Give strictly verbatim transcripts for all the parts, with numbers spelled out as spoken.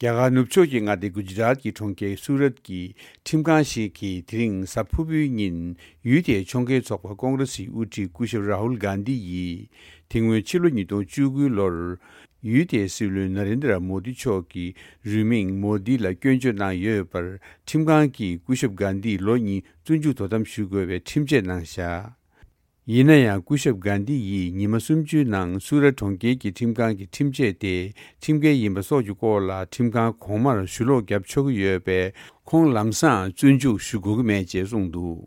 རྒྱ་གར་ནུབ་ཕྱོགས་ཀྱི་མངའ་སྡེ་གུ་ཇི་རཱཏ་ཀྱི་གྲོང་ཁྱེར་སུ་རཏ་ཀྱི་ཁྲིམས་ཁང་ཞིག་གིས་དེ་རིང་གཟའ་ཕུར་བུའི་ཉིན་ཡུལ་དེའི་ཕྱོགས་འགལ་ཚོགས་པ་ཀོང་རེ་སིའི་དབུ་ཁྲིད་སྐུ་ཞབས་རཱ་ཧུལ་གྷན་དྷི་ཡིས་དེ་སྔོན་ཕྱི་ལོ་ཉིས་སྟོང་བཅུ་དགུ་ལོར་ཡུལ་དེའི་སྲིད་བློན་ན་རེན་དྲ་མོ་དི་མཆོག་གི་རུས་མིང་མོ་དི་ལ་སྐྱོན་བརྗོད་གནང་ཡོད་པར་ཁྲིམས་ཁང་གིས་སྐུ་ཞབས་གྷན་དྷི་ལོ་གཉིས་བཙོན་འཇུག་དོ་དམ་ཞུ་དགོས་པའི་ཁྲིམས་ཆད་གནང་བཞག་ཡིན་ན་ཡང་སྐུ་ཞབས་གྷན་དྷི་ཡིས་ཉི་མ་གསུམ་བཅུའི་ནང་སུ་ར་གྲོང་ཁྱེར་གྱི་ཁྲིམས་ཁང་གི་ཁྲིམས་ཆད་དེ་ཁྲིམས་འགལ་ཡིན་པ་སོགས་ཀྱི་སྐོར་ལ་ཁྲིམས་ཁང་གོང་མར་ཞུ་ལོག་བརྒྱབ་ཆོག་གི་ཡོད་པས་ཁོང་ལམ་སང་བཙོན་འཇུག་ཞུ་དགོས་ཀྱི་མེད་ཅེས་གསུངས་འདུག་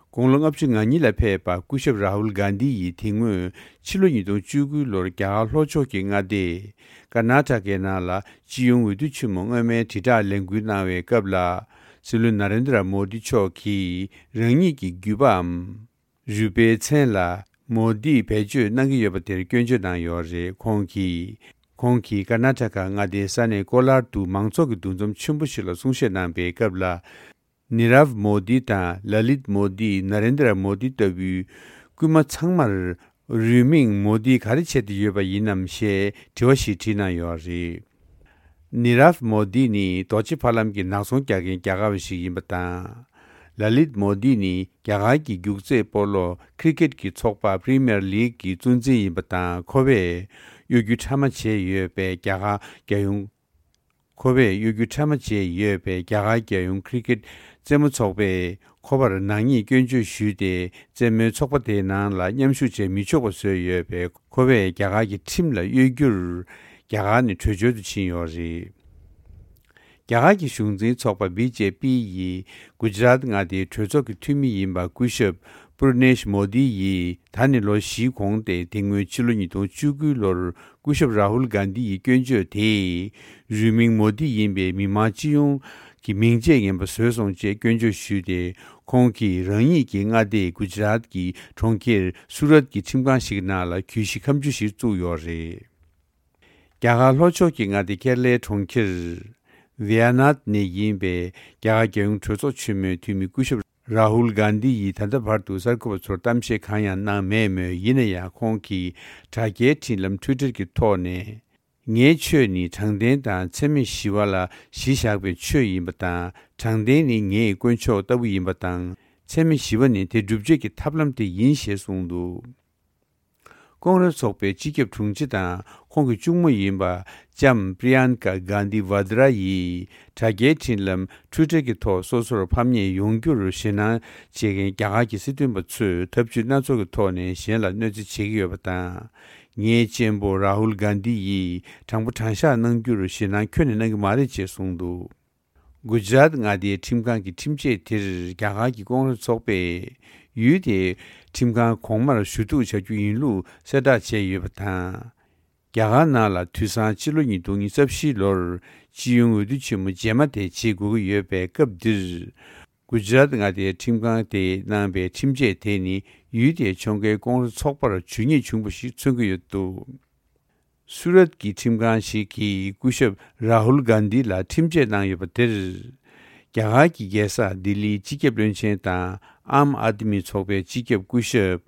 དགུང་ལོ་ལྔ་བཅུ་ང་གཉིས་ལ་ཕེབས་པ་སྐུ་ཞབས་རཱ་ཧུལ་གྷན་དྷི་ཡིས་དེ་སྔོན་ཕྱི་ལོ་ཉིས་སྟོང་བཅུ་དགུ་ལོར་རྒྱ་གར་ལྷོ་ཕྱོགས་ཀྱི་མངའ་སྡེ་ཀར་ནཱ་ཊ་ཀའི་ནང་ལ་སྤྱི་ཡོངས་འོས་བསྡུ་ཆེན་མོ་སྔོན་མའི་དྲིལ་བསྒྲགས་ལས་འགུལ་གནང་བའི་སྐབས་ལ་སྲིད་བློན་ན་རེན་དྲ་མོ་དི་མཆོག་གིས་རང་ཉིད་ཀྱི་རྒྱུད་པའམ། རུས་པའི་མཚན་ལ་མོ་དིས་བེད་སྤྱོད་གནང་གི་ཡོད་པ་དེར་སྐྱོན་བརྗོད་གནང་ཡོད་རེད། ཁོང་གིས། ཁོང་གིས་ཀར་ནཱ་ཊ་ཀ་མངའ་སྡེའི་ས་གནས་ཀོ་ལར་དུ་མང་ཚོགས་ཀྱི་འདུ་འཛོམས་ཆེན་པོ་ཞིག་ལ་གསུང་བཤད་གནང་པའི་སྐབས་ལ། ནི་རབ་མོ་དི་དང་ལ་ལིད་མོ་དི་ན་རེན་དྲ་མོ་དི་ལྟ་བུའི་སྐུལ་མ་ཚང་མར་རུས་མིང་མོ་དིས་ག་རེ་བྱས་ཏེ་ཡོད་པ་ཡིན་ནམ་ཞེས་དྲི་བ་ཞིག་དྲིས་གནང་ཡོད་རེད། ནི་རབ་མོ་དི་ནི་རྡོ་རྗེ་ཕ་ལམ་གྱི་ནག་ཚོང་རྒྱག་མཁན་རྒྱ་གར་བ་ཞིག་ཡིན་པ་དང་། ལ་ལིད་མོ་དི་ནི་རྒྱ་གར་གྱི་རྒྱུག་རྩེད་སྤོ་ལོ་ཁི་རི་ཀེད་ཀྱི་ཚོགས་པ་པི་རི་མི་ཡར་ལིག་གི་གཙོ་འཛིན་ཡིན་པ་དང་ཁོ་བས་གཡོ་སྒྱུ་ཕྲ་མ་བྱས་ཡོད་པའི་རྒྱ་གར་རྒྱལ་ཡོངས། ཁོ་བས་གཡོ་སྒྱུ་ཕྲ་མ་བྱས་ཡོད་པའི་རྒྱ་གར་རྒྱལ་ཡོངས་ཁི་རི་ཀེད་རྩེད་མོ་ཚོགས་པས་ཁོ་པར་ནག་ཉེས་སྐྱོན་བརྗོད་ཞུས་ཏེ་རྩེད་མོའི་ཚོགས་པ་དེའི་ནང་ལ་མཉམ་ཞུགས་བྱེད་མི་ཆོག་པ་བཟོས་ཡོད་པས་ཁོ་བས་རྒྱ་གར་གྱི་ཁྲིམས་ལ་གཡོ་སྒྱུར་རྒྱ་གར་ནས་བྲོས་བྱོལ་དུ་ཕྱིན་ཡོད་རེད། རྒྱ་གར་གྱི་གཞུང་འཛིན་ཚོགས་པ་བི་ཇེ་པི་ཡིས་གུ་ཇི་རཱཏ་མངའ་སྡེའི་གྲོས་ཚོགས་ཀྱི་འཐུས་མི་ཡིན་པ་སྐུ་ཞབས་པུར་ནེཤ་མོ་དི་ཡིས་ད་ནི་ལོ་བཞིའི་གོང་སྟེ་དེ་སྔོན་ཕྱི་ལོ་ཉིས་སྟོང་བཅུ་དགུ་ལོར་སྐུ་ཞབས་རཱ་ཧུལ་གྷན་དྷི་ཡི་སྐྱོན་བརྗོད་དེས་རུས་མིང་མོ་དི་ཡིན་པའི་མི་མང་སྤྱི་ཡོངས་ཀྱི་མིང་ཆད་ངན་པ་བཟོས་སོང་ཅེས་སྐྱོན་བརྗོད་ཞུས་ཏེ་ཁོང་གིས་རང་ཉིད་ཀྱི་མངའ་སྡེ་གུ་ཇི་རཱཏ་ཀྱི་གྲོང་ཁྱེར་སུ་རཏ་ཀྱི་ཁྲིམས་ཁང་ཞིག་ནང་ལ་གྱོད་གཞི་ཁ་མཆུ་ཞིག་བཙུགས་ཡོད་རེད། རྒྱ་གར་ལྷོ་ཕྱོགས་ཀྱི་མངའ་སྡེ་ཀེ་ར་ལའི་གྲོང་ཁྱེར་ཝི་ཡ་ནཱད་ནས་ཡིན་པའི་རྒྱ་གར་རྒྱལ་ཡོངས་གྲོས་ཚོགས་ཆེན་མོའི་འཐུས་མི་སྐུ་ཞབས་རཱ་ཧུལ་གྷན་དྷི་ཡིས་ད་ལྟ་བར་དུ་གསར་འགོད་པ་ཚོར་གཏམ་བཤད་གང་ཡང་གནང་མེད་མོད། ཡིན་ན་ཡང་ཁོང་གིས་དྲ་རྒྱའི་འཕྲིན་ལམ་ཊུའི་ཊར་གྱི་ཐོག་ནས། ངའི་ཆོས་ནི་དྲང་བདེན་དང་འཚེ་མེད་ཞི་བ་ལ་གཞི་བཞག་པའི་ཆོས་ཡིན་པ་དང་། དྲང་བདེན་ནི་ངའི་དཀོན་མཆོག་ལྟ་བུ་ཡིན་པ་དང་། འཚེ་མེད་ཞི་བ་ནི་དེ་སྒྲུབ་བྱེད་ཀྱི་ཐབས་ལམ་དེ་ཡིན་ཞེས་གསུངས་འདུག་ཀོང་རེས་ཚོགས་པའི་སྤྱི་ཁྱབ་དྲུང་ཆེ་དང་ཁོང་གི་གཅུང་མོ་ཡིན་པ་ལྕམ་པྲི་ཡན་ཀ་གྷན་དྷི་ཝ་དྲ་ཡིས་དྲ་རྒྱའི་འཕྲིན་ལམ་ཊུའི་ཊར་གྱི་ཐོག་སོ་སོར་ཕམ་ཉེས་ཡོང་རྒྱུར་ཞེད་སྣང་བྱེད་མཁན་རྒྱ་གར་གྱི་སྲིད་དོན་པ་ཚོས་ཐབས་ཇུས་སྣ་ཚོགས་ཀྱི་ཐོག་ནས་གཞན་ལ་གནོད་འཚེ་བྱེད་ཀྱི་ཡོད་པ་དང་། ངའི་གཅེན་པོ་རཱ་ཧུལ་གྷན་དྷི་ཡིས་དྲང་པོ་དྲང་བཞག་གནང་རྒྱུར་ཞེད་སྣང་ཁྱོན་ནས་གནང་གི་མ་རེད་ཅེས་གསུངས་འདུག་གུ་ཇི་རཱཏ་མངའ་སྡེའི་ཁྲིམས་ཁང་གི་ཁྲིམས་ཆད་དེར་རྒྱ་གར་གྱི་ཀོང་རེས་ཚོགས་པས་ཡུལ་དེའི་ཁྲིམས་ཁང་གོང་མར་ཞུ་གཏུག་བྱ་རྒྱུ་ཡིན་ལུགས་གསལ་བསྒྲགས་བྱས་ཡོད་པ་དང་། རྒྱ་གར་ནང་ལ་དུས་སང་ཕྱི་ལོ་ཉིས་སྟོང་ཉི་ཤུ་རྩ་བཞི་ལོར་སྤྱི་ཡོངས་འོས་བསྡུ་ཆེན་མོ་རྗེས་མ་དེ་བྱེད་དགོས་ཀྱི་ཡོད་པའི་སྐབས་འདིར། གུ་ཇི་རཱཏ་མངའ་སྡེའི་ཁྲིམས་ཁང་དེས་གནང་པའི་ཁྲིམས་ཆད་དེ་ནི་ཡུལ་དེའི་ཕྱོགས་འགལ་ཀོང་རེས་ཚོགས་པར་ཇུས་ཉེས་བྱུང་བ་ཞིག་མཚོན་གྱི་ཡོད་འདུག་སུ་རཏ་ཀྱི་ཁྲིམས་ཁང་ཞིག་གིས་སྐུ་ཞབས་རཱ་ཧུལ་གྷན་དྷི་ལ་ཁྲིམས་ཆད་གནང་ཡོད་པ་དེར། རྒྱ་གར་གྱི་རྒྱལ་ས་ལྡི་ལིའི་སྤྱི་ཁྱབ་བློན་ཆེན་དང་ཨམ་ཨཱ་དི་མི་ཚོགས་པའི་སྤྱི་ཁྱབ་སྐུ་ཞབས་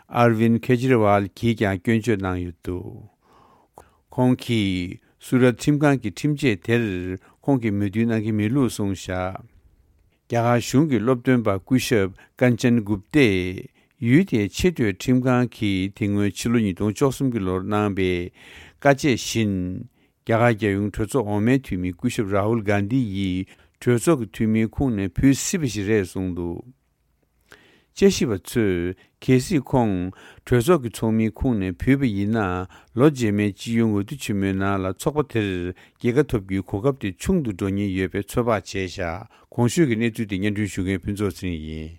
ཨར་ཝིན་ཁེ་ཇི་རི་ཝལ་གྱིས་ཀྱང་སྐྱོན་བརྗོད་གནང་ཡོད་འདུག་ཁོང་གིས་སུ་རཏ་ཁྲིམས་ཁང་གི་ཁྲིམས་ཆད་དེར་ཁོང་གིས་མོས་མཐུན་གནང་གི་མེད་ལུགས་གསུངས་བཞག་རྒྱ་གར་གཞུང་གི་སློབ་སྟོན་པ་སྐུ་ཞབས་ཀན་ཅན་གུབ་ཏས་ཡུལ་དེའི་ཆེས་མཐོའི་ཁྲིམས་ཁང་གིས་དེ་སྔོན་ཕྱི་ལོ་ཉིས་སྟོང་བཅུ་གསུམ་གྱི་ལོར་གནང་པའི་བཀའ་ཆད་བཞིན། རྒྱ་གར་རྒྱལ་ཡོངས་གྲོས་ཚོགས་འོག་མའི་འཐུས་མི་སྐུ་ཞབས་རཱ་ཧུལ་གྷན་དྷི་ཡིས་གྲོས་ཚོགས་ཀྱི་འཐུས་མིའི་ཁོངས་ནས་བུད་སྲིད་པ་ཞིག་རེད་གསུངས་འདུག་དཔྱད་ཞིབ་པ་ཚོས་གལ་སྲིད་ཁོང་གྲོས་ཚོགས་ཀྱི་ཚོགས་མིའི་ཁོངས་ནས་བུད་པ་ཡིན་ན། ལོ་རྗེས་མའི་སྤྱི་ཡོངས་འོས་བསྡུ་ཆེན་མོའི་ནང་ལ་ཚོགས་པ་དེར་རྒྱལ་ཁ་ཐོབ་རྒྱུའི་གོ་སྐབས་དེ་ཆུང་དུ་འགྲོ་ཉེན་ཡོད་པའི་ཚོད་དཔག་བྱས་བཞག་གོང་ཞུས་ཀྱི་གནས་ཚུལ་དེ་སྙན་སྒྲོན་ཞུ་མཁན་ཕུན་ཚོགས་ཚེ་རིང་ཡིན།